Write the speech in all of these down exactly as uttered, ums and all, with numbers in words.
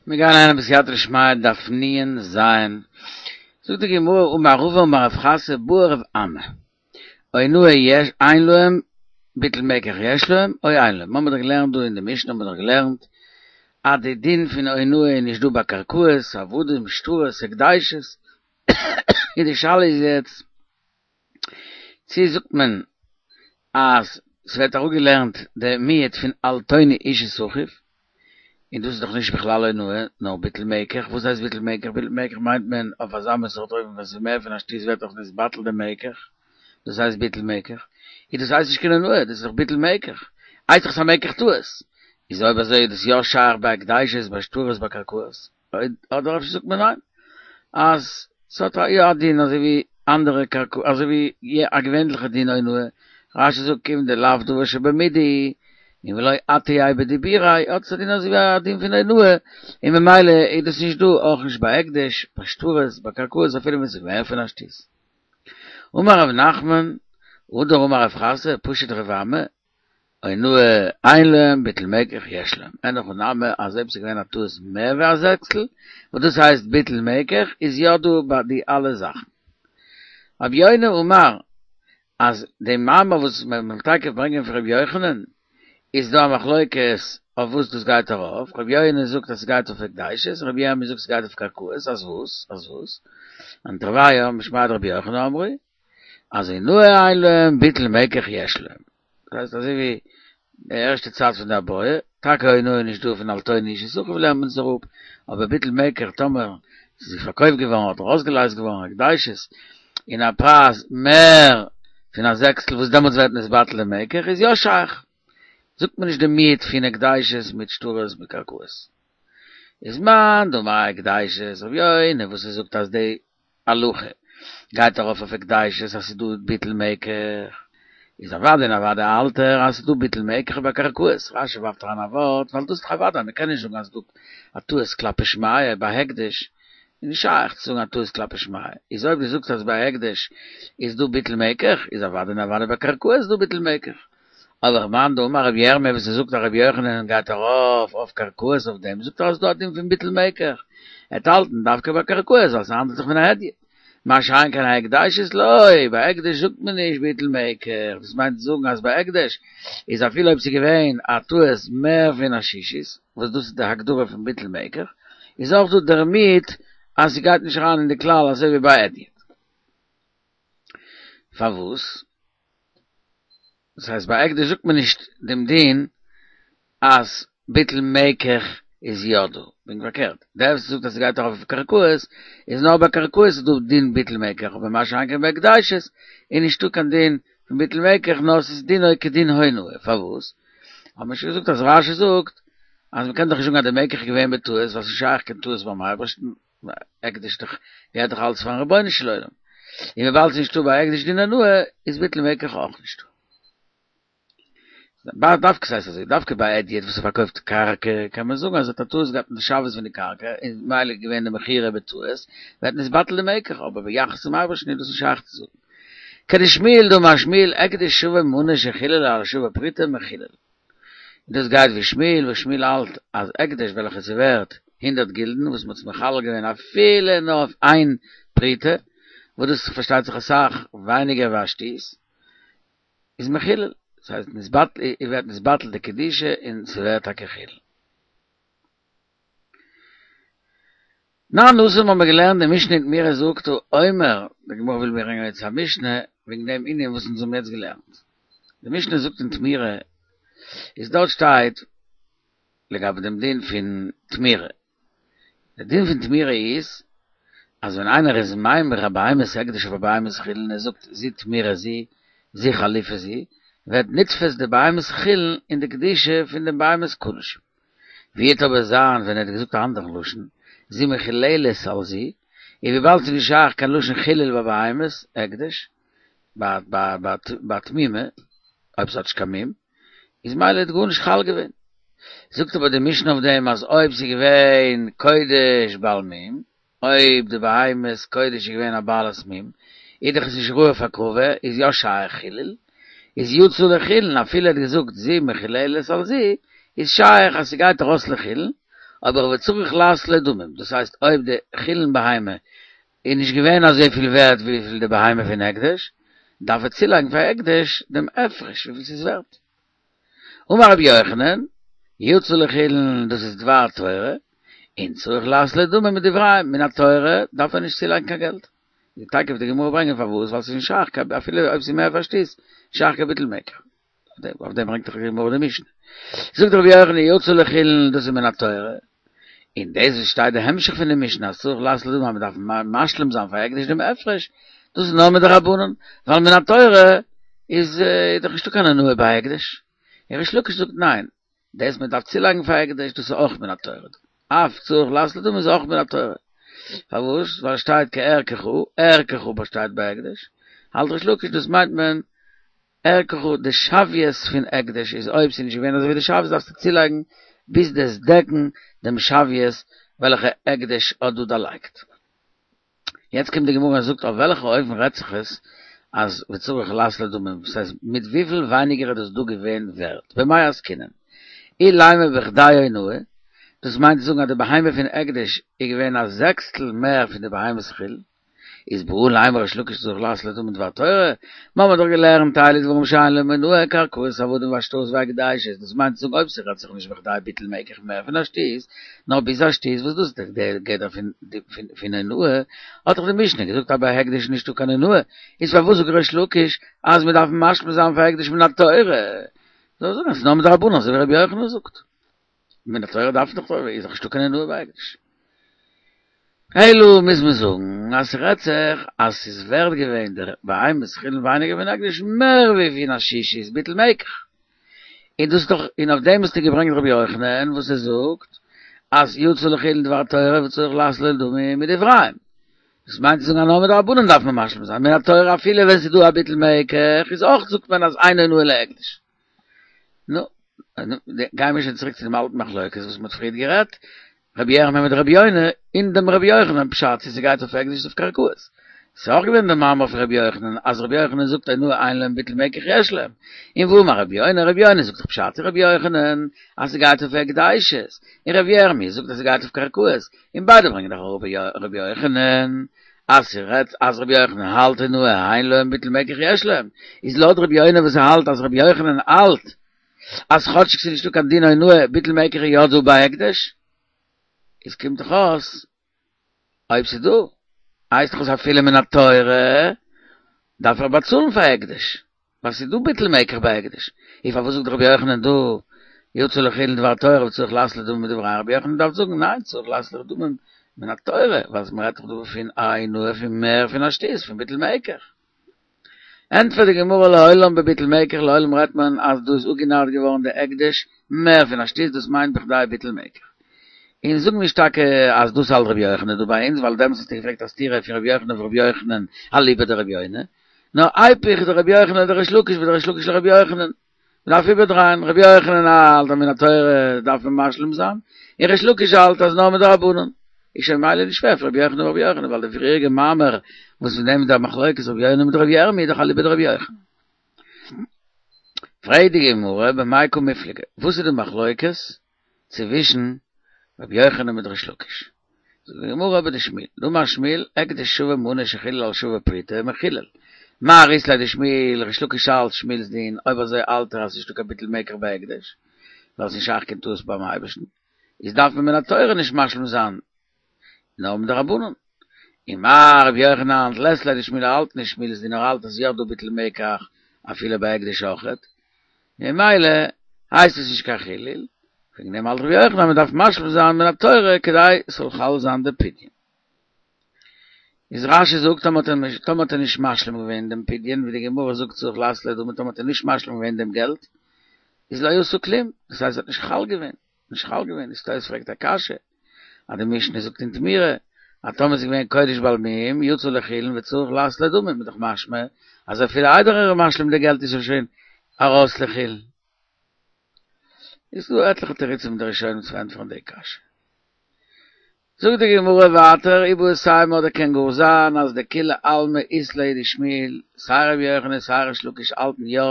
מיר גייען אריין בסייעתא דשמיא דף נ"ז, זאגט די גמרא אמר רבא אמר רב חסא בעי רב אמי, אונאה יש אין להם ביטול מקח יש להם או אין להם, מ'האמיר דאך געלערנט דא אין די משנה האמיר דאך געלערנט אז די דין פון אונאה איז נישט דא ביי קרקעות, עבדים, שטרות, הקדשות, און די שאלה איז יעצט צו זאגט מען אז ס'ווערט אראפגעלערנט די מיעוט פון אל תונו איש את אחיו, און דאס איז דאך נישט בכלל אונאה, נאר ביטול מקח, וואס הייסט ביטול מקח? ביטול מקח מיינט מען אויף אזא מין סארט אופן ווען ס'איז מער פון א שתית ווערט דאך נתבטל די מקח, דאס הייסט ביטול מקח, און דאס הייסט נישט קיין אונאה, דאס איז דאך ביטול מקח, הייסט דאך ס'איז א מקח טעות, איז אויב אזוי איז דאס יא שייך ביי הקדשות, ביי שטרות, ביי קרקעות, אדער אפשר זאגט מען ניין, אז ס'האט יא א דין אזוי ווי אנדערע קרקעות, אזוי ווי א געווענליכע דין אונאה, רש"י זאגט כיון דלאו דבר שבמידה הוא, און ולא אטעייה בדיבוריה, האט עס א דין אזוי ווי א דין פון אונאה, און ממילא איז דאס נישט דא אויך נישט ביי הקדש, ביי שטרות, ביי קרקעות אפילו ווען ס'איז מער פון א שתית. אמר רב נחמן, הדר אמר רב חסא, פשט רב אמי, אונאה אין להם ביטול מקח יש להם, אין הכי נמי אז אויב ס'איז געווען א טעות מער ווי א זעקסטל, וואס דאס הייסט ביטול מקח, איז יא דא ביי די אלע זאכן. רבי יונה אמר אז די מאמר וואס מען וויל טאקע ברענגען פון רבי יוחנן, איז דא א מחלוקת אויף וואס דאס גייט ארויף, רבי יונה זאגט אז ס'גייט אויף הקדשות, רבי ירמי' זאגט ס'גייט אויף קרקעות, אז וואס? אז וואס? און תרוייהו משמיה דרבי יוחנן אמרי, אז אונאה אין להם ביטול מקח יש להם. דאס הייסט אזוי ווי די ערשטע צד פון די בעיא, טאקע אונאה איז נישט דא פון אל תונו איש את אחיו לערנט מען עס אראפ, אבער ביטול מקח טאמער ס'איז פארקויפט געווארן אדער אויסגעלייזט געווארן הקדשות אין א פרייז מער פון א זעקסטל וואס דעמאלטס ווערט נתבטל די מקח איז יא שייך, זאגט מען נישט די מיעוט פון הקדשות מיט שטרות מיט קרקעות. איז מאן דאמר הקדשות רבי יונה וואס ער זאגט אז די הלכה גייט ארויף אויף הקדשות אז ס'איז דא ביטול מקח, איז אוודאי און אוודאי האלט ער אז ס'איז דא ביטול מקח ביי קרקעות, רש"י ווארפט אריין א ווארט ווייל דאס איז דאך אוודאי, מ'קען נישט זאגן אז ס'איז דא א טעות כלפי שמיא ביי הקדש, איז נישט שייך צו זאגן א טעות כלפי שמיא, איז אויב דו זאגסט אז ביי הקדש איז דא ביטול מקח, איז אוודאי און אוודאי ביי קרקעות איז דא ביטול מקח. אבער מאן דאמר רבי ירמי' וואס ער זאגט אז רבי יוחנן גייט ארויף אויף קרקעות אויף דעם זאגט ער אז ס'דא א דין פון ביטול מקח, ער וועט האלטן דווקא ביי קרקעות ווייל ס'האנדלט זיך פון א הדיוט, מה שאין כן הקדשות לא, ביי הקדש זאגט מען נישט ביטול מקח, דאס מיינט צו זאגן אז ביי הקדש איז אפילו אויב ס'איז געווען א טעות מער פון א שישית, וואס דאס איז די הגדרה פון ביטול מקח, איז אויך דא דער מיעוט אז ס'גייט נישט אריין אין די כלל אזוי ווי ביי הדיוט. פארוואס? דאס הייסט ביי הקדש זאגט מען נישט דעם דין אז ביטול מקח איז יא דא, פונקט פארקערט, דער וואס זאגט אז ס'גייט ארויף אויף קרקעות איז נאר ביי קרקעות איז דא דין ביטול מקח אבער מה שאין כן ביי הקדשות איז נישטא קיין דין פון ביטול מקח נאר ס'איז דינו כדין אונאה, פארוואס? האט מען שוין געזאגט אז רש"י זאגט אז מ'קען דאך נישט זאגן אז די מקח איז געווען בטעות ווייל ס'איז נישט שייך קיין טעות ביים אייבערשטן, הקדש דאך געהערט דאך אלץ פארן רבונו של עולם, און וויבאלד ס'איז נישטא ביי הקדש דין אונאה איז ביטול מקח אויך נישטא. דווקא ס'הייסט אזוי, דווקא ביי הדיוט וואס ער פארקויפט קרקע קען מען זאגן אז ער האט א טעות געהאט אין די שוויות פון די קרקע און ממילא איז געווען די מכירה בטעות ווערט נתבטל די מקח אבער ביחס צום אייבערשטן איז דאס נישט שייך צו זאגן. כדשמואל דאמר שמואל הקדש שווה מנה שחיללו על שווה פרוטה מחולל. און דאס גייט ווי שמואל, וואס שמואל האלט אז הקדש וועלכע איז ווערט הונדערט גילדן וואס מ'האט עס מחלל געווען אפילו נאר אויף איין פרוטה, וואס דאס איז פארשטייט זיך אסאך ווייניגער ווי א שתית, איז מחולל, דאס הייסט נתבטל, ווערט נתבטל די קדושה און ס'ווערט טאקע חילול. תנן התם האבן מיר געלערנט די משנה אין תמורה זאגט האומר, די גמרא וויל ברענגען יעצט א משנה וועגן דעם ענין וואס אונז האבן יעצט געלערנט, די משנה זאגט אין תמורה איז דארט שטייט לגבי דעם דין פון תמורה, די דין פון תמורה איז אז ווען איינער איז ממיר א בהמת הקדש אויף א בהמת חולין ער זאגט זו תמורה זו זו חליפה זו, ווערט נתפס די בהמת חולין אין די קדושה פון דעם בהמת קדשים. ווי וועט אבער זיין ווען ער האט געזאגט א אנדערן לשון, זו מחוללת על זו, און וויבאלד ס'איז נישט שייך קיין לשון חילול ביי בהמות הקדש, ביי תמימה, אויב ס'האט נישט קיין מום, איז ממילא האט גארנישט חל געווען. זאגט אבער די משנה אויף דעם אז אויב ס'איז געווען קודש בעל מום, אויב די בהמת קודש איז געווען א בעלת מום, איז דאך עס נישט ראוי אויף הקרבה, איז יא שייך חילול, איז יצא לחולין, אפילו ער האט געזאגט זו מחוללת על זו, איז שייך אז ס'גייט ארויס לחולין, אבער וצריך לעשות לו דמים, דאס הייסט אויב די חולין בהמה איז נישט געווען אזויפיל ווערט וויפיל די בהמה פון הקדש, דארף ער צולייגן פאר הקדש דעם הפרש וויפיל ס'איז ווערט. אמר רבי יוחנן, יצא לחולין דאס איז דבר תורה, און צריך לעשות לו דמים מדבריהם, מן התורה דארף ער נישט צולייגן קיין געלט. די תיכף וועט די גמרא ברענגען פארוואס, ווייל ס'איז נישט שייך קיין אפילו אויב ס'איז מער פון א שתית, שייך קיין ביטול מקח. אויף דעם ברענגט דאך די גמרא די משנה. זאגט רבי יוחנן יצא לחולין דאס איז מן התורה, און דאס וואס שטייט די המשך פון די משנה אז צריך לעשות לו דמים אז מ'דארף משלים זיין פאר הקדש דעם הפרש, דאס איז נאר מדרבנן, ווייל מן התורה איז דאך נישטא קיין אונאה ביי הקדש. און ריש לקיש זאגט ניין, דאס מען דארף צולייגן פאר הקדש דאס איז אויך מן התורה. אף צריך לעשות לו דמים איז אויך מן התורה. פארוואס? ווייל עס שטייט כערכך, ערכך באשטייט ביי הקדש. האלט ריש לקיש דאס מיינט מען ערכך די שוויות פון הקדש איז אויב ס'איז נישט געווען אזוי ווי די שוויות דארפסטו צולייגן ביז דו'סט דעקן דעם שוויות וועלכע הקדש האט דא דערלייגט. יעצט קומט די גמרא און זאגט אויף וועלכע אופן רעדט זיך עס אז וצריך לעשות לו דמים, דאס הייסט מיט וויפיל ווייניגער איז דאס דא געווען ווערט, במאי עסקינן? אילימא בכדי אונאה, דאס מיינט צו זאגן אז די בהמה פון הקדש איז געווען א זעקסטל מער פון די בהמת חולין, איז בעי לימא ריש לקיש צריך לעשות לו דמים מדבר תורה, מיר האבן דאך געלערנט אלו דברים שאין להם אונאה קרקעות עבדים והשטרות והקדשות, דאס מיינט צו זאגן אויב ס'רעדט זיך נישט בכדי ביטול מקח מער פון א שתית, נאר ביז א שתית וואס דאס איז דער גדר פון אונאה, האט דאך די משנה געזאגט אז ביי הקדש איז נישטא קיין אונאה, איז פארוואס זאגט ריש לקיש אז מ'דארף משלים זיין פאר הקדש מן התורה? זאל ער זאגן אז ס'איז נאר מדרבנן אזוי ווי רבי יוחנן זאגט. מן התורה דארף דאך איז דאך נישטא קיין אונאה ביי הקדש. אלא מוז מען זאגן אז ס'רעדט זיך אז ס'איז ווערט געווען דער בהמת חולין ווייניגער פון הקדש מער ווי פון א שישית ביטול מקח. און דאס איז דאך און אויף דעם האסטו געברענגט רבי יוחנן וואס ער זאגט אז יצא לחולין דבר תורה וצריך לעשות לו דמים מדבריהם. דאס מיינט צו זאגן אז נאר מדרבנן דארף מען משלים זיין, מן התורה אפילו ווען ס'איז דא א ביטול מקח איז אויך זאגט מען אז אין אונאה להקדש. נו, גייען מיר שוין צוריק צו דעם אלטן מחלוקת וואס מ'האט פריערט גערעדט, רבי ירמי' מיט רבי יונה, אין דעם רבי יוחנן פשט צו ס'גייט אויף הקדש אויף קרקעות. ס'איז אויך געווען דער מאמר פון רבי יוחנן אז רבי יוחנן זאגט אונאה אין להם ביטול מקח יש להם. און והאמר רבי יונה, רבי יונה זאגט דאך פשט אין רבי יוחנן אז ס'גייט אויף הקדשות, און רבי ירמי' זאגט אז ס'גייט אויף קרקעות, און ביידע ברענגען דאך אראפ רבי יוחנן אז ס'רעדט אז רבי יוחנן האלט אונאה אין להם ביטול מקח יש להם, איז לויט רבי יונה וואס ער האלט אז רבי יוחנן האלט אז כאטשיג ס'איז נישטא קיין דין אונאה ביטול מקח איז יא דא ביי הקדש, איז קומט דאך אויס אויב ס'איז דא הייסט דאך אז אפילו מן התורה דארף ער באצאלן פאר הקדש, ווייל ס'איז דא ביטול מקח ביי הקדש, איז פארוואס זאגט רבי יוחנן דא יצא לחולין דבר תורה וצריך לעשות לו דמים מדבריהם, רבי יוחנן דארף זאגן ניין צריך לעשות לו דמים מן התורה, ווייל מ'רעדט דאך דא פון א אונאה פון מער פון א שתית פון ביטול מקח. ענטפערט די גמרא לעולם בביטול מקח לעולם רעדט מען אז דא איז אפגענארט געווארן די הקדש מער פון א שתית דאס מיינט בכדי ביטול מקח. און זאג נישט טאקע אז דאס האלט רבי יוחנן דא ביי אונז ווייל דעמאלטס האסטו געפרעגט א סתירה פון רבי יוחנן אויף רבי יוחנן אליבא דרבי יונה, נאר איפוך דרבי יוחנן לדריש לקיש ודריש לקיש לרבי יוחנן. מ'דארף איבערדרייען, רבי יוחנן האלט אז מן התורה דארף מען משלים זיין, און ריש לקיש האלט אז נאר מדרבנן. איז שוין ממילא נישט שווער פון רבי יוחנן אויף רבי יוחנן, ווייל די פריעריגע מאמר וואס פון דעם איז דער מחלוקת רבי יונה מיט רבי ירמי' איז דאך אליבא דרבי יוחנן. פרעגט די גמרא במאי קא מיפלגי, וואס איז די מחלוקת צווישן רבי יוחנן מיט ריש לקיש? זאגט די גמרא בדשמואל, דאמר שמואל, הקדש שווה מנה שחילל על שווה פרוטה, מחולל. מר אית ליה דשמואל, ריש לקיש האלט שמואל'ס דין, אויב אזוי האלט ער אז ס'נישטא קיין ביטול מקח ביי הקדש, ווייל ס'נישט שייך קיין טעות ביים אייבערשטן, איז דארף מען מן התורה נישט משלים זיין, נאר מדרבנן. און מר רבי יוחנן לית ליה דשמואל האלט נישט שמואל'ס דין ער האלט אז יא דא ביטול מקח אפילו ביי הקדש אויכעט, ממילא הייסט עס נישט קיין חילול, וועגן דעם האלט רבי יוחנן אז מען דארף משלים זיין מן התורה כדי ס'זאל חל זיין די פדיון. איז רש"י זאגט טאמער האט ער נישט משלים געווען דעם פדיון, ווי די גמרא זאגט צריך לעשות לו דמים טאמער האט ער נישט משלים געווען דעם געלט, איז לא עשה כלום, דאס הייסט עס האט נישט חל געווען, נישט חל געווען, איז תוס' פרעגט א קשיא, אז די משנה זאגט אין תמורה, אז טאמער איז געווען קודש בעל מום, יצא לחולין וצריך לעשות לו דמים, איז דאך משמע אז אפילו איידער ער איז משלים די געלט איז ער שוין ארויס לחולין. איז דא עטליכע תירוצים אין די ראשונים צו ענטפערן די קשיא. זאגט די גמרא ווייטער, איבעית אימא אדער קען גאר זיין אז דכולי עלמא אית להו דשמואל, סיי רבי יוחנן סיי ריש לקיש האלטן יא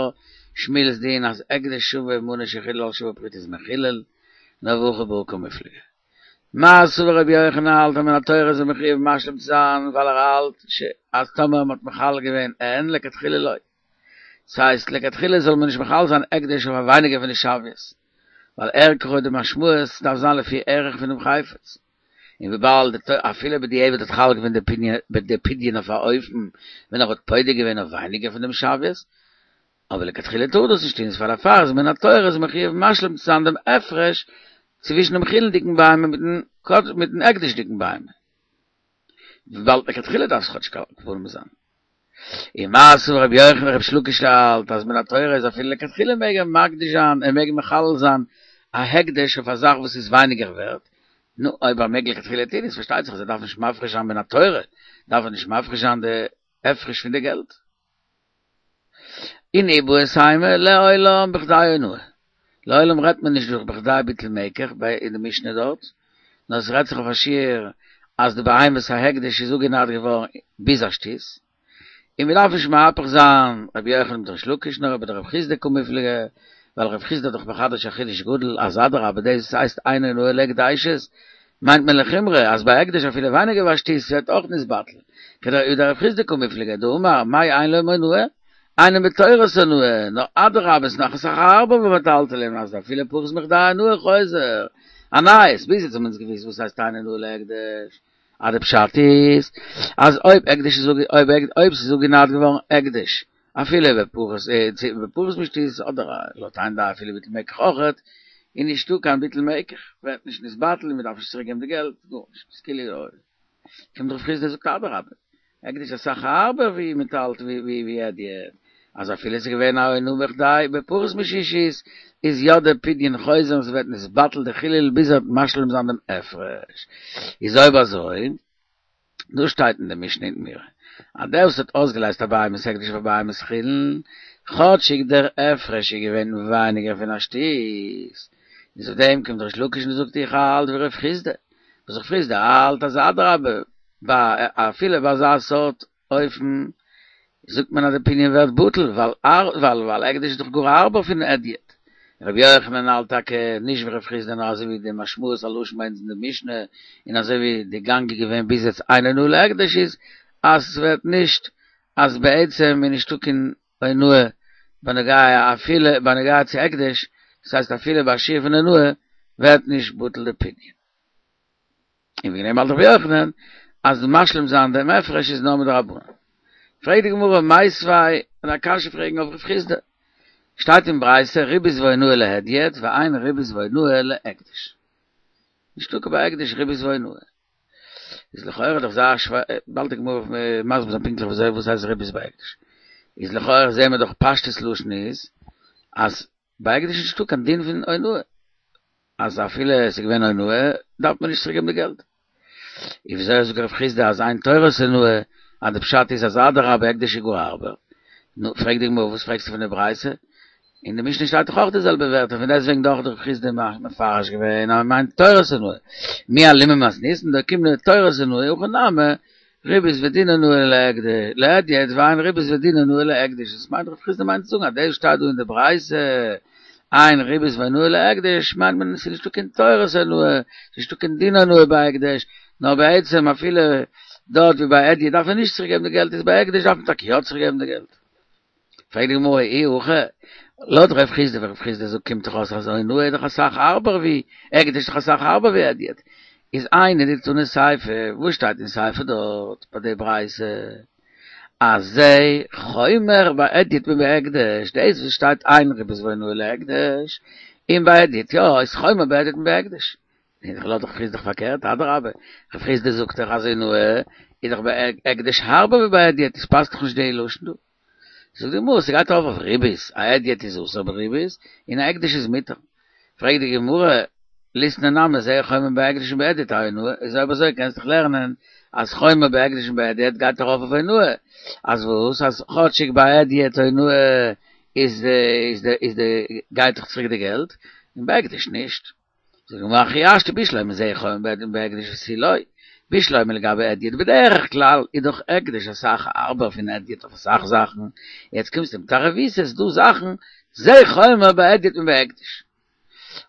שמואל'ס דין אז הקדש שווה מנה שחילל על שווה פרוטה איז מחולל, נאר והכא בהא קמיפלגי. מר סבר רבי יוחנן האלט אז מן התורה איז ער מחויב משלים צו זיין ווייל ער האלט אז טאמער מ'האט מחלל געווען אין לכתחילה לא. ס'הייסט לכתחילה זאל מען נישט מחלל זיין הקדש אויף א ווייניגער פון די שוויות, ווייל ערכו די משמעות דארף זיין לפי ערך פונעם חפץ, און וויבאלד אפילו בדיעבד האט חל געווען די פדיון אויף א אופן ווען ער האט פודה געווען אויף ווייניגער פון דעם שוויות, אבער לכתחילה טאר דאס נישט טון, איז פאר דערפאר איז מן התורה איז מחויב משלים צו זיין דעם הפרש צווישן דעם חולין'דיגן בהמה מיטן מיטן הקדש'דיגן בהמה. וויבאלד לכתחילה דארף עס כאטש כפול זיין. און מר סבר רבי יוחנן ריש לקיש האלט אז מן התורה איז אפילו לכתחילה מעג ער מקדיש זיין ער מעג מחלל זיין א הקדש אויף א זאך וואס איז ווייניגער ווערט, נו אויב ער מעג לכתחילה טון איז פארשטייט זיך אז ער דארף נישט מפריש זיין מן התורה, דארף ער נישט מפריש זיין די הפרש פון די געלט. און איבעית אימא לעולם בכדי אונאה. לעולם רעדט מען נישט דורך בכדי ביטול מקח ביי אין די משנה דארט, נאר עס רעדט זיך אויף א שיעור אז די בהמת ההקדש איז אפגענארט געווארן ביז א שתות, און מען דארף נישט מהפך זיין רבי יוחנן מיט ריש לקיש נאר בדרב חסדא קמיפלגי, ווייל רב חסדא האט דאך מחדש א חידוש גדול אז אדרבה דאס הייסט אין אונאה להקדשות מיינט מען לחומרא אז ביי הקדש אפילו ווייניגער ווי א שתות ווערט אויך נתבטל, כדרב חסדא קמיפלגי דאמר מאי אין להם אונאה אינו בתורת אונאה, נאר אדרבה איז נאך אסאך הארבער ווי מטלטלין אז אפילו פחות מכדי אונאה חוזר. א נייעס, ביז יעצט האבן אונז געוואוסט וואס הייסט אין אונאה להקדש, אז די פשט איז אז אויב הקדש איז אויב אויב ס'איז אפגענארט געווארן הקדש אפילו בפחות בפחות משתות אדער לויט איין דעה אפילו ביטול מקח אויכעט איז נישטא קיין ביטול מקח ווערט נישט נתבטל און מ'דארף נישט צוריק געבן די געלט גארנישט ס'איז כאילו קומט רב חסדא זאגט אדרבה הקדש אסאך הארבער ווי מטלטל ווי ווי הדיוט, אז אפילו עס איז געווען א אונאה בכדי בפחות משישית, איז יא דער פדיון חוזר און ס'ווערט נתבטל די חילול ביז ער וועט משלים זיין דעם הפרש. איז אויב אזוי, דא שטייט אין די משנה אין תמורה, אז דער וואס האט אויסגעלייזט א בהמת הקדש אויף א בהמת חולין, כאטשיג דער הפרש איז געווען ווייניגער פון א שתות, איז אויף דעם קומט ריש לקיש און זאגט איך האלט ווי רב חסדא, וואס רב חסדא האלט אז אדרבה, ביי אפילו ביי אזא סארט אופן זאגט מען אז די פדיון ווערט בטל, ווייל ווייל ווייל הקדש איז דאך גאר הארבער פון הדיוט. רבי יוחנן האלט טאקע נישט ווי רב חסדא נאר אזוי ווי די משמעות הלשון ביי אונז אין די משנה און אזוי ווי די גאנג איז געווען ביז יעצט אין אונאה להקדש איז אז ס'ווערט נישט אז בעצם איז נישטא קיין אונאה בנוגע אפילו בנוגע צו הקדש, דאס הייסט אפילו ביי א שיעור פון אונאה ווערט נישט בטל די פדיון. און וועגן דעם האלט רבי יוחנן אז משלים זיין דעם הפרש איז נאר מדרבנן. פרעגט די גמרא מיתיבי און א קשיא פרעגן אויף רב חסדא. שטייט אין ברייתא ריבית ואונאה להדיוט ואין ריבית ואונאה להקדש. נישטא קיין ביי הקדש ריבית ואונאה. איז לכאורה דאך זייער שווער, באלד די גמרא מסביר זיין פונקטליך וואס וואס הייסט ריבית ביי הקדש. איז לכאורה זעהן מיר דאך פשטות לשון איז אז ביי הקדש איז נישטא קיין דין פון אונאה. אז אפילו עס איז געווען אונאה דארף מען נישט צוריק געבן די געלט. און וויאזוי זאגט רב חסדא אז אין תורת אונאה אז די פשט איז אז אדרבה הקדש איז גאר הארבער. נו, פרעגט די גמרא וואס פרעגסטו פון די ברייתא? אין די משנה שטייט דאך אויך די זעלבע ווערטער, פון דעסטוועגן דאך האט רב חסדא מפרש געווען אז מען מיינט תורת אונאה. מי אלימא מתניתין דאוקימנא תורת אונאה הכא נמי ריבית ודין אונאה להדיוט ואין ריבית ודין אונאה להקדש, דאס מיינט רב חסדא מיינט צו זאגן אז דאס שטייט דא אין די ברייתא אין ריבית ואונאה להקדש מיינט מען עס איז נישטא קיין תורת אונאה, עס איז נישטא קיין דין אונאה ביי הקדש, נאר בעצם אפילו דארט ווי ביי הדיוט דארף מען נישט צוריק געבן די געלט איז ביי הקדש דארף מען טאקע יא צוריק געבן די געלט. פרעגט די גמרא אי הכי, לויט רב חסדא ווי רב חסדא זאגט קומט דאך אויס אז אונאה איז דאך אסאך הארבער ווי הקדש איז דאך אסאך הארבער ווי הדיוט, איז היינו דתנא סיפא, וואס שטייט אין סיפא דארט ביי די ברייתא אז זה חומר בהדיוט מבהקדש, דאס וואס שטייט אין ריבית ואונאה להקדש, און ביי הדיוט יא, איז חומר בהדיוט מבהקדש. און לויט רב חסדא איז דאך פארקערט, אדרבה, רב חסדא זאגט דאך אז אונאה איז דאך ביי הקדש הארבער ווי ביי הדיוט, עס פאסט דאך נישט די לשון דא. זאגט די גמרא, ס'גייט ארויף אויף ריבית, א הדיוט איז אסור בריבית, און א הקדש איז מותר. פרעגט די גמרא, ליתני נמי זה חומר בהקדש מבהדיוט אאונאה, איז אויב אזוי קענסט דאך לערנען אז חומר בהקדש מבהדיוט גייט ארויף אויף אונאה, אז וואס? אז כאטשיג ביי הדיוט אונאה איז די איז די איז די גייט דאך צוריק די געלט, און ביי הקדש נישט. זאגט די גמרא הכי השתא בשלמא זה חומר בהדיוט מבהקדש ותו לא, בשלמא לגבי הדיוט בדרך כלל איז דאך הקדש אסאך הארבער פון הדיוט אויף אסאך זאכן, יעצט קומסטו מיט א רבותא ס'איז דא זאכן זה חומר בהדיוט מבהקדש.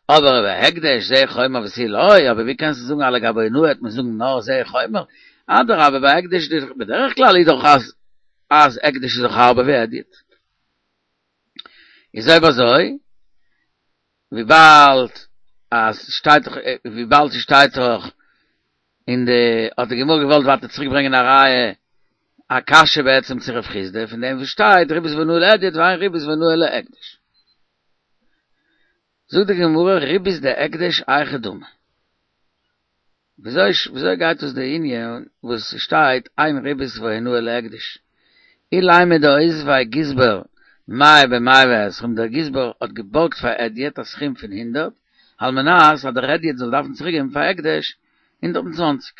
אבער בהקדש זה חומר ותו לא, אבער ווי קענסטו זאגן אז לגבי אונאה וועט מען זאגן נאר זה חומר? אדרבה ביי הקדש בדרך כלל איז דאך אז אז הקדש איז דאך הארבער ווי הדיוט. איז אויב אזוי וויבאלד אז שטייט דאך וויבאלד ס'שטייט דאך אין די האט די גמרא געוואלט ווייטער צוריק ברענגען א ראיה א קשיא בעצם צו רב חסדא פון דעם וואס שטייט ריבית ואונאה להדיוט ואין ריבית ואונאה להקדש. זאגט די גמרא ריבית דהקדש היכי דמי. וויאזוי וויאזוי גייט דאס די ענין וואס ס'שטייט אין ריבית ואונאה להקדש? אילימא דאותביה גזבר מאה במאה ועשרים, דער גזבר האט געבארגט פאר הדיוט א סכום פון הונדערט, על מנת אז דער הדיוט זאל דארפן צוריקגעבן פאר הקדש הונדערט און צוואנציג.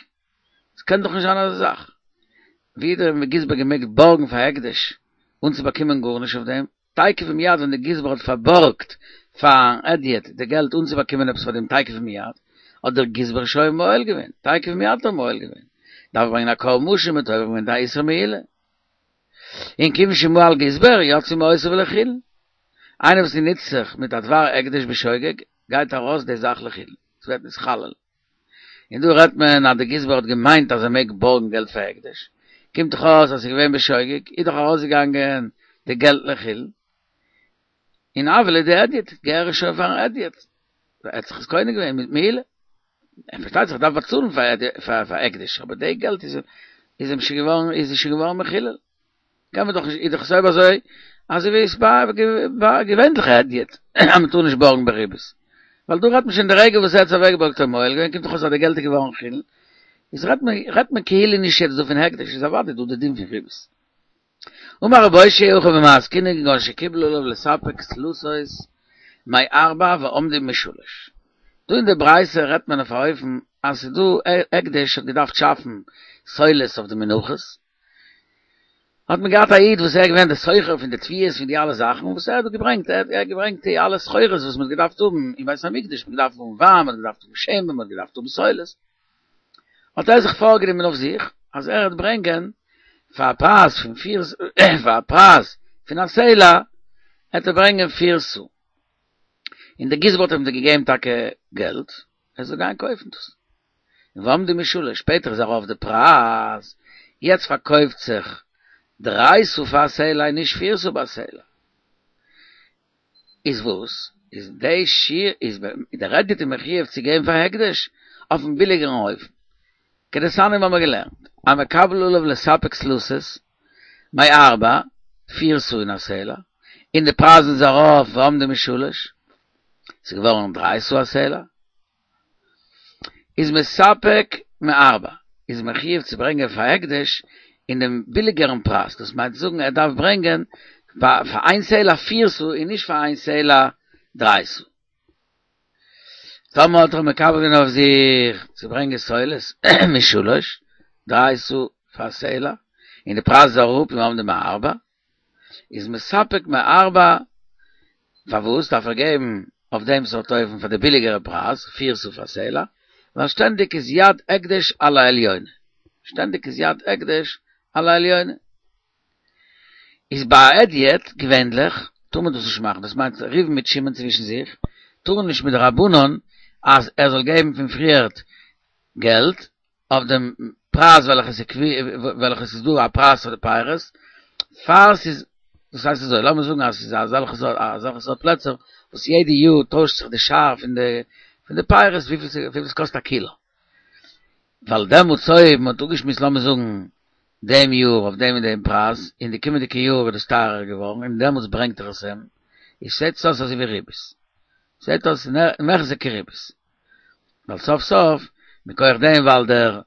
ס'קען דאך נישט זיין אזא זאך. ווי האט דער גזבר געמעגט בארגן פאר הקדש אן צו באקומען גארנישט אויף דעם? תיכף ומיד ווען דער גזבר האט פארבארגט פארן הדיוט די געלט אן צו באקומען עפעס פאר דעם תיכף ומיד, האט דער גזבר שוין מועל געווען, תיכף ומיד האט ער מועל געווען, דארף ער ברענגען א קרבן אשם מ'האט עובר געווען די איסור מעילה. און כיוון שמעל גזבר יצאו מעותיו לחולין. איינער וואס נוצט זיך מיט א דבר הקדש בשוגג, גייט ארויס די זאך לחולין, ס'ווערט נתחלל. און דא רעדט מען אז די גזבר האט געמיינט אז ער מעג בארגן געלט פאר הקדש, קומט דאך אויס אז ס'איז געווען בשוגג, איז דאך ארויסגעגאנגען די געלט לחולין, און הוה ליה דהדיוט, געהער עס שוין פארן הדיוט, ער האט זיך עס קונה געווען מיט מעילה, ער פארשטייט זיך דארף באצאלן פאר הקדש, אבער די געלט איז איז אים שוין געווארן איז שוין געווארן מחולל, קען מען דאך נישט, איז דאך עס אויב אזוי אזוי ווי עס ביי געווענליכע הדיוט אז מען טאר נישט בארגן בריבית, ווייל דא רעדט מען שוין די רגע וואס ער האט עס אוועקגעבארגט האט ער מועל געווען, קומט דאך אויס אז די געלט איז געווארן חולין, איז רעדט מען רעדט מען כאילו נישט יעצט דא פון הקדש, איז אוודאי דא די דין פון ריבית. אמר רב אושעיא הכא במאי עסקינן כגון שקיבל עליו לספק סלתות מארבע ועמדו משלש. דא אין די ברייתא רעדט מען אויף א אופן אז ס'איז דא הקדש האט געדארפט שאפן סולת אויף די מנחות, האט מען געהאט א איד וואס ער איז געווען די סוחר פון די תבואות פון די אלע זאכן וואס ער האט געברענגט ער האט געברענגט די אלע סחורות וואס מען האט געדארפט האבן אין בית המקדש, מען האט געדארפט האבן וויין, מען האט געדארפט האבן שמן, מען האט געדארפט האבן סולת. האט ער זיך פארגענומען אויף זיך אז ער וועט ברענגען פאר א פרייז פון פיר פאר א פרייז פון א סלע וועט ער ברענגען פיר סאה, און דער גזבר האט אים געגעבן טאקע געלט ער זאל גיין קויפן דאס, און ועמדו משלש, שפעטער איז ארויף די פרייז, יעצט פארקויפט זיך דריי סאה פאר א סלע און נישט פיר סאה ביי א סלע. איז וואס? איז די שיר איז דער הדיוט מחויב צו געבן פאר הקדש אויפן ביליגערן אופן. כדתניא האבן מיר געלערנט, המקבל עליו לספק סלתות, מארבע, פיר סאה אין א סלע, און די פרייזן איז ארויף ועמדו משלש, ס'איז געווארן דריי סאה א סלע, איז מספק מארבע, איז מחויב צו ברענגען פאר הקדש אין דעם ביליגערן פרייז, דאס מיינט צו זאגן ער דארף ברענגען פאר איין סלע פיר סאה און נישט פאר איין סלע דריי סאה. טאמער האט ער מקבל געווען אויף זיך צו ברענגען סולת משלש, דריי סאה פאר סלע, און די פרייז איז אראפ ועמדו מארבע, איז מספק מארבע, פארוואס דארף ער געבן אויף דעם סארט אופן פאר די ביליגערע פרייז, פיר סאה פאר סלע, ווייל שטענדיג איז יד הקדש על העליונה, שטענדיג איז יד הקדש על העליונה. איז ביי א הדיוט, געווענליך, טאר מען דאס נישט מאכן, דאס מיינט ראובן מיט שמעון צווישן זיך, טארן נישט מדרבנן אז ער זאל געבן פון פריערט געלט אויף דעם פרייז וועלכע ס'איז וועלכע ס'איז דא א פרייז פאר די פירות, פאר ס'איז, דאס הייסט אזוי, לאמיר זאגן אז ס'איז אזעלכע סארט אזעלכע סארט פלעצער וואס יעדע יאר טוישט זיך די שער פון די פון די פירות וויפיל ס'קאסט א קילא, ווייל דעמאלטס אויב מ'האט אפגעשמועסט לאמיר זאגן דעם יאר אויף דעם און דעם פרייז, און די קומענדיגע יאר איז דאס טייערער געווארן, און דעמאלטס ברענגט ער עס אים, איז זעט עס אויס אזוי ווי ריבית. זעט אויס מחזי כריבית. ווייל סוף סוף, מכח דעם ווייל דער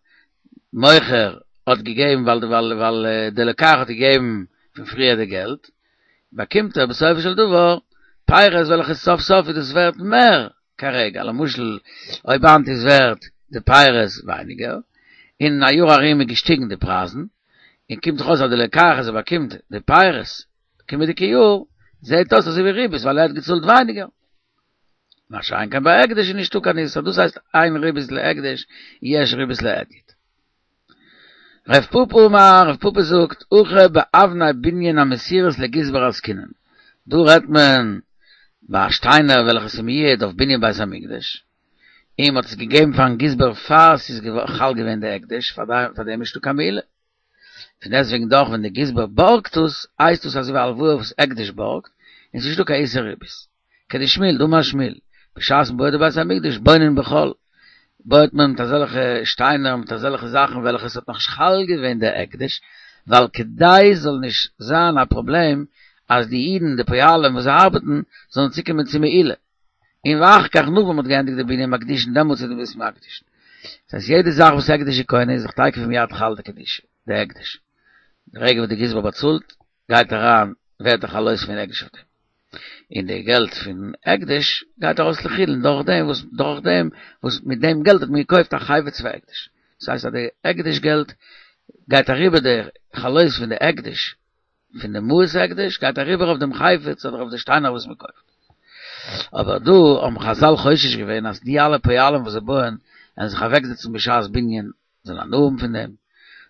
מוכר האט געגעבן, ווייל ווייל ווייל דער לוקח האט געגעבן פון פריער די געלט, באקומט ער בסופו של דבר פירות וועלכע סוף סוף איז דאס ווערט מער כרגע, למשל אויב היינט איז ווערט די פירות ווייניגער, און אין א יאר ארום איז געשטיגן די פרייזן, און קומט דאך אויס אז די לוקח אז ער באקומט די פירות קומענדיגע יאר, זעהט אויס אזוי ווי ריבית ווייל ער האט געצאלט ווייניגער. מה שאין כן ביי הקדש איז נישטא קיין איסור, דאס הייסט אין ריבית להקדש יש ריבית להדיוט. רב פפא אמר, רב פפא זאגט, הכא באבני בנין המסורות לגזבר עסקינן, דא רעדט מען ביי שטיינער וועלכע איז מיועד אויף בנין בית המקדש, און מ'האט עס געגעבן פארן גזבר פאר ס'איז חל געווען די הקדש, פאר דעם איז נישטא קיין מעילה. פון דעסטוועגן דאך ווען די גזבר בארגט עס, הייסט עס אזוי ווי א הלוואה וואס הקדש בארגט, און ס'איז נישטא קיין איסור ריבית. כדשמואל, דאמר שמואל, בשעת מ'בויעט די בית המקדש בונין בחול, בויעט מען מיט אזעלכע שטיינער מיט אזעלכע זאכן וועלכע ס'האט נאכנישט חל געווען די הקדש, ווייל כדי ס'זאל נישט זיין א פראבלעם אז די אידן די פועלים וואס זיי ארבעטן זאלן צוקומען צו מעילה, און ואחר כך נאך ווען מ'האט געענדיגט די בנין מקדישין דעמאלטס איז די בית מקדישין. דאס הייסט יעדע זאך וואס הקדש איז קונה איז זיך תיכף ומיד חל די קדושה, די הקדש. די רגע וואס די גזבר באצאלט גייט אריין ווערט די חלות פון הקדש אויף דעם. און די געלט פון הקדש גייט ארויס לחולין דורך דעם וואס דורך דעם וואס מיט דעם געלט האט מען געקויפט א חפץ פאר הקדש. דאס הייסט אז די הקדש געלט גייט אריבער די חלות פון די הקדש פון די מעות הקדש גייט אריבער אויף דעם חפץ אדער אויף די שטיינער וואס מען קויפט. אבער דא האבן חזל חושש געווען אז די אלע פועלים וואס זיי בויען וועלן זיך אוועקזעצן בשעת בנין זאלן הנאה האבן פון דעם,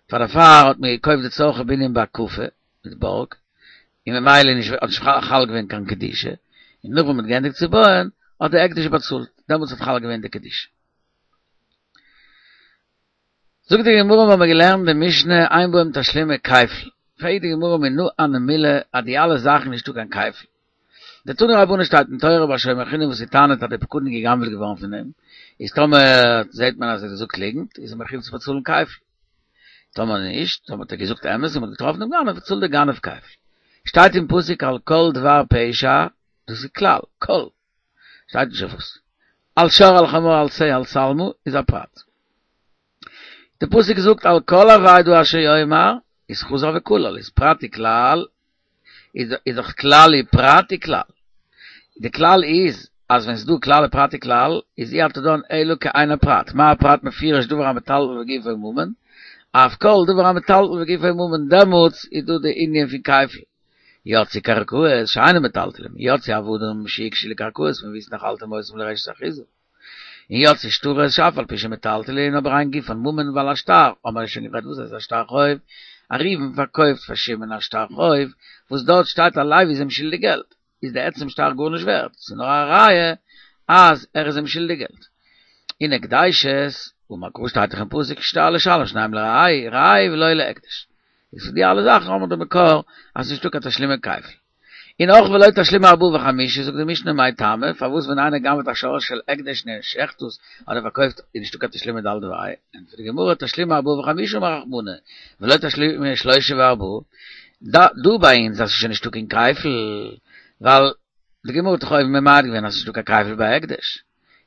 פאר דערפאר האט מען געקויפט די צרכי בנין בהקפה מיט בארג, און ממילא איז נישט האט נישט חל געווען קיין קדושה, און נאך ווען מען האט געענדיגט צו בויען האט די הקדש באצאלט, דעמאלטס האט חל געווען די קדושה. זאגט די גמרא מיר האבן געלערנט די משנה אין בהם תשלומי כפל, פרעגט די גמרא מנא הני מילי אז די אלע זאכן נישטא קיין כפל, דתנו רבנן שטייט אין תורה ביי שומר חינם וואס ס'טענה'ט אז די פקדון איז גע'גנב'עט געווארן פון אים, איז טאמער זעהט מען אז ער האט געזאגט ליגנט איז ער מחויב צו באצאלן כפל, טאמער נישט, טאמער האט ער געזאגט אמת און מ'האט געטראפן דעם גנב, צאלט דער גנב כפל. שטייט אין פסוק על כל דבר פשע, דאס איז כלל, כל, שטייט נישט אויף וואס. על שור על חמור על שה על שלמה איז א פרט. די פסוק זאגט על כל אבידה אשר יאמר, איז חזר וכלל, איז פרט וכלל, איז דאך כלל ופרט וכלל. די כלל איז אז ווען ס'איז דא כלל ופרט וכלל, איז אי אתה דן אלא כעין הפרט. מה הפרט מפורש דבר המטלטל וגופו ממון, אף כל דבר המטלטל וגופו ממון, דעמאלטס איז דא די ענין פון כפל. יצאו קרקעות שאינן מטלטלין, יצאו עבדים שהוקשו לקרקעות פון וואו שנחלתם אותם לרשת אחוזה. און יצאו שטרות שאף על פי שמטלטלין אבער אין גופן ממון ווייל א שטר, האבן מיר שוין גערעדט וואס איז א שטר חוב, א ראובן פארקויפט פאר שמעון א שטר חוב וואס דארט שטייט אז לוי איז אים שולדיג געלט, איז די עצם שטר גארנישט ווערט, ס'איז נאר א ראיה אז ער איז אים שולדיג געלט. און הקדשות, אמר קרא שטייט דאך אין פסוק שטר לשלם שנים לרעהו, רעהו ולא להקדש. איז פון די אלע זאכן האבן מיר די מקור אז ס'נישטא קיין תשלומי כפל. און אויך ולא תשלומי ארבעה וחמישה זאגט די משנה מאי טעמא, פארוואס ווען איינער גנב'עט א שור של הקדש און ער שעכט עס אדער פארקויפט איז נישטא קיין תשלומי ד' וה', ענטפערט די גמרא תשלומי ארבעה וחמישה אמר רחמנא, ולא תשלומי שלושה וארבעה, דא ביי אונז אז ס'איז שוין נישטא קיין כפל, ווייל די גמרא האט דאך אויבן ממעט געווען אז ס'איז נישטא קיין כפל ביי הקדש,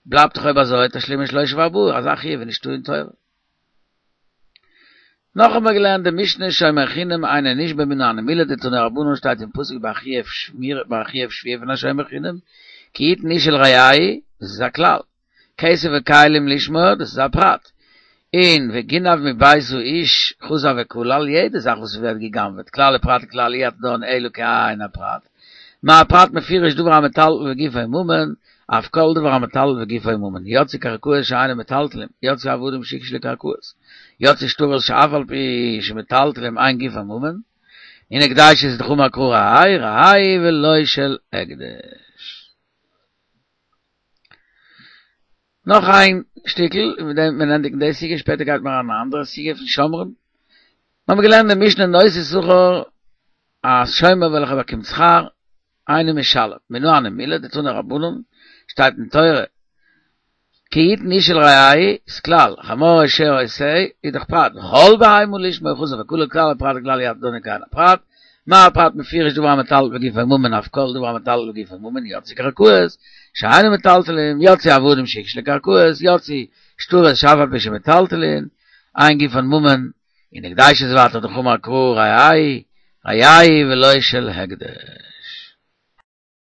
בלייבט דאך אויב אזוי תשלומי שלושה וארבעה, אזא חיוב איז נישטא אין תורה. נאך האבן מיר געלערנט די משנה שומר חינם אינו נשבע מנא הני מילי דתנו רבנן שטייט אין פסוק ביי חיוב שמירה ביי חיוב שבועה פון א שומר חינם כי יתן איש אל רעהו דאס איז א כלל כסף וכלים לשמור דאס איז א פרט און וגנב מבית האיש חזר וכלל יעדע זאך וואס ווערט גע'גנב'עט כלל ופרט וכלל אי אתה דן אלא כעין הפרט מה הפרט מפורש דבר המטלטל וגופו ממון, אף כל דבר המטלטל וגופו ממון, יצאו קרקעות שאינן מטלטלים, יצאו עבדים שהוקשו לקרקעות, יצאו שטרות שאף על פי שמטלטלים אין גופן ממון, און הקדשות איז דאך אמר קרא רעהו רעהו ולא של הקדש. נאך איין שטיקל און מיט דעם וועט מען ענדיגן די סוגיא, שפעטער גייט מען אריין אין א אנדערע סוגיא פון שומרים. מיר האבן געלערנט די משנה נושא שכר, א שומר וועלכער באקומט שכר, אינו משלם, מנא הני מילי דתנו רבנן, שטייט אין תורה, כי יתן איש אל רעהו, איז כלל, חמור או שור או שה, איז דאך פרט, וכל בהמה לשמור חזר וכלל כלל ופרט וכלל אי אתה דן כעין הפרט, מה הפרט מפורש דבר המטלטל וגופו ממון אף כל דבר המטלטל וגופו ממון יצאו קרקעות שאינן מטלטלין יצאו עבדים שהוקשו לקרקעות יצאו שטרות שאף על פי שמטלטלין אין גופן ממון און הקדשות ווייטער דאך אמר קרא רעהו רעהו ולא של הקדש.